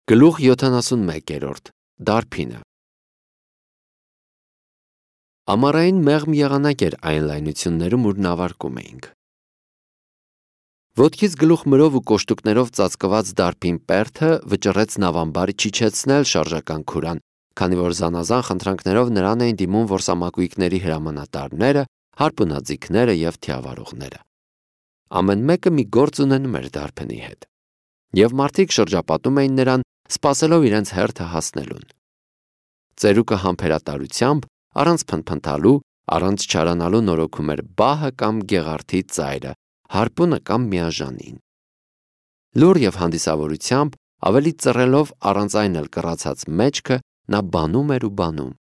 Գլուխ 71 Դարբինը Ամառային մեղմ եղանակ էր այն լայնություններում, ուր նավարկում էինք։ Ոտքից գլուխ մրով ու կոշտուկներով ծածկված դարբին պերթը վճռեց նավամբար չիջեցնել շարժական քուրան, քանի որ զանազան խնդրանքներով նրան էին դիմում որսամակույկների հրամանատարները, հարպունաձիգները և թիավարողները։ Ամեն մեկը մի գործ ունենում էր դարբնի հետ, և մարդիկ շրջապատում էին նրան, սպասելով իրենց հերթը հասնելուն։ Ծերուկը համբերատարությամբ, առանց փնթփնթալու, առանց չարանալու նորոգում էր բահը կամ գեղարդի ծայրը, հարպունը կամ միաժանին։ Լուռ և հանդիսավորությամբ, ավելի ծռելով առանց այն էլ կռացած մեջքը, նա բանում էր ու բանում։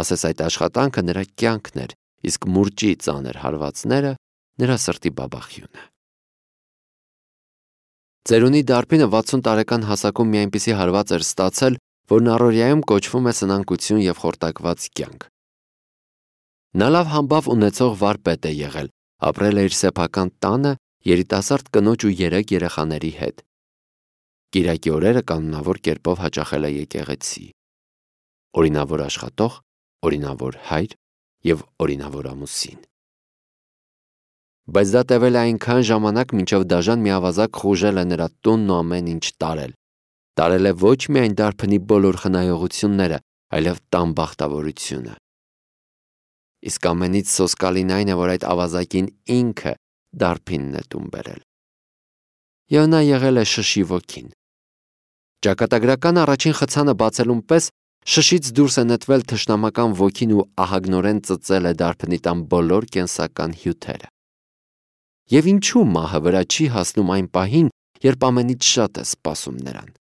Ասես այդ աշխատանքը նրա կյանքն էր, իսկ մուրճի ծանր հարվածները նրա սրտի բաբախյունը։ Ծերունի դարբինը 60 տարեկան հասակում մի այնպիսի հարված էր ստացել, որն առօրյայում կոչվում է սնանկություն և խորտակված կյանք։ Նա լավ համբավ ունեցող վարպետ է եղել, ապրել է իր սեփական տանը, երիտասարդ կնոջ ու 3 երեխաների հետ։ Կիրակի օրերը կանոնավոր կերպով հաճախել է եկեղեցի։ Օրինավոր աշխատող, օրինավոր հայր և օրինավոր ամուսին։ Բայց դա տևել է այնքան ժամանակ, մինչև դաժան մի ավազակ խուժել է նրա տունն ու ամեն ինչ տարել։ Տարել է ոչ միայն դարբնի բոլոր խնայողությունները, այլև տան բախտավորությունը։ Իսկ ամենից սոսկալին այն է, որ այդ ավազակին ինքը դարբինն է տուն բերել։ Եվ նա եղել է շշի ոգին։ Ճակատագրական առաջին խցանը բացելուն պես շշից դուրս է նետվել թշնամական ոգին ու ահագնորեն ծծել է դարբնի տան բոլոր կենսական հյութերը։ Եվ ինչու մահը վրա չի հասնում այն պահին, երբ ամենից շատ է սպասում նրան։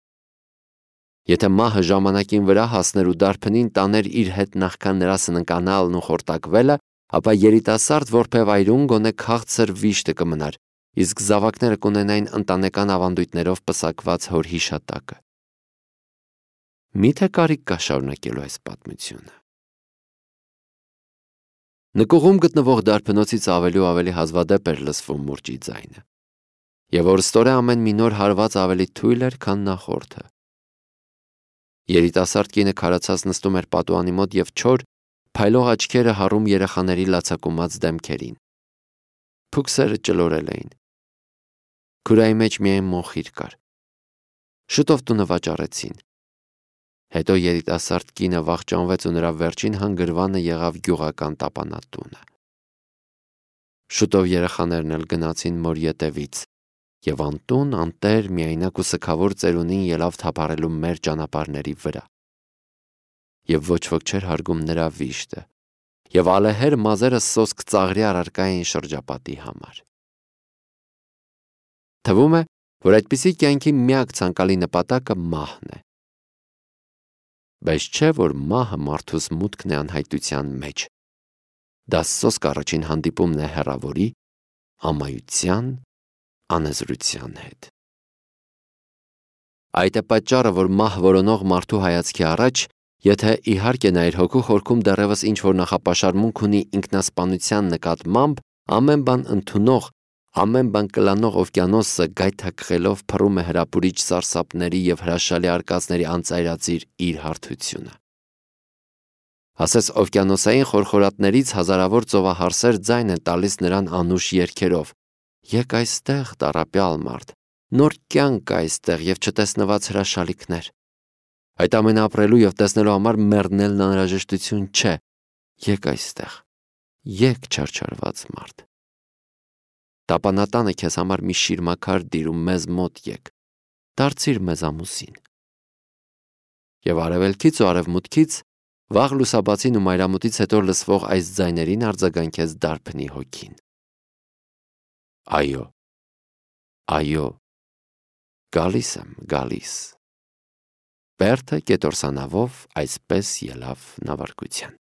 Եթե մահը ժամանակին վրա հասներ ու դարբնին տաներ իր հետ նախքան նրա սննկանալն ու խորտակվելը, ապա երիտասարդ որբևայրուն գոնե քաղցր վիշտը կմնար, իսկ զավակները կունենային ընտանեկան ավանդույթներով պսակված հոր հիշատակը։ Միթե կարիք կա շարունակելու այս պատմությունը։ Նկուղում գտնվող դարբնոցից ավելի ու ավելի հազվադեպ էր լսվում մուրճի ձայնը, և օրստորե ամեն մի նոր հարված ավելի թույլ էր, քան նախորդը։ Երիտասարդ կինը քարացած նստում էր պատուհանի մոտ և չոր, փայլող աչքերը հառում երեխաների լացակումած դեմքերին։ Փուքսերը ճլորել էին։ Քուրայի մեջ միայն մոխիր կար։ Շուտով տունը վաճառեցին։ Հետո երիտասարդ կինը վախճանվեց ու նրա վերջին հանգրվանը եղավ գյուղական տապանատունը։ Շուտով երեխաներն էլ գնացին մոր ետևից, և անտուն, անտեր, միայնակ ու սգավոր ծերունին ելավ թափառելու մեր ճանապարհների վրա։ Եվ ոչ ոք չէր հարգում նրա վիշտը, և ալեհեր մազերը սոսկ ծաղրի առարկա էին շրջապատի համար։ Թվում է, որ այդպիսի կյանքի միակ ցանկալի նպատակը մահն է։ Բայց չէ, որ մահը մարդուս մուտքն է անհայտության մեջ։ Դա սոսկ առաջին հանդիպումն է հեռավորի, ամայության, անեզրության հետ։ Այդ է պատճառը, որ մահ որոնող մարդու հայացքի առաջ, եթե իհարկե նա իր հոգու խորքում դեռևս ինչ-որ նախապաշարմունք ունի ինքնասպանության նկատմամբ, ամեն բան ընդունող, ամեն բան կլանող օվկիանոսը գայթակղելով փռում է հրապուրիչ սարսափների և հրաշալի արկածների անծայրածիր իր հարթությունը։ Ասես օվկիանոսային խորխորատներից հազարավոր ծովահարսեր ձայն են տալիս նրան անուշ երգերով. «Եկ այստեղ, տառապյալ մարդ, նոր կյանք կա այստեղ և չտեսնված հրաշալիքներ։ Այդ ամենը ապրելու և տեսնելու համար մեռնելն անհրաժեշտություն չէ։ Եկ այստեղ, եկ չարչարված մարդ։ Տապանատանը քեզ համար մի շիրմաքար դիր ու մեզ մոտ եկ, դարձիր մեզ ամուսին»։ Եվ արևելքից ու արևմուտքից, վաղ լուսաբացին ու մայրամուտից հետո լսվող այս ձայներին արձագանքեց դարբնի հոգին։ Այո, այո, գալիս եմ, գալիս։ Բերդը կետորսանավով այսպես ելավ նավարկության։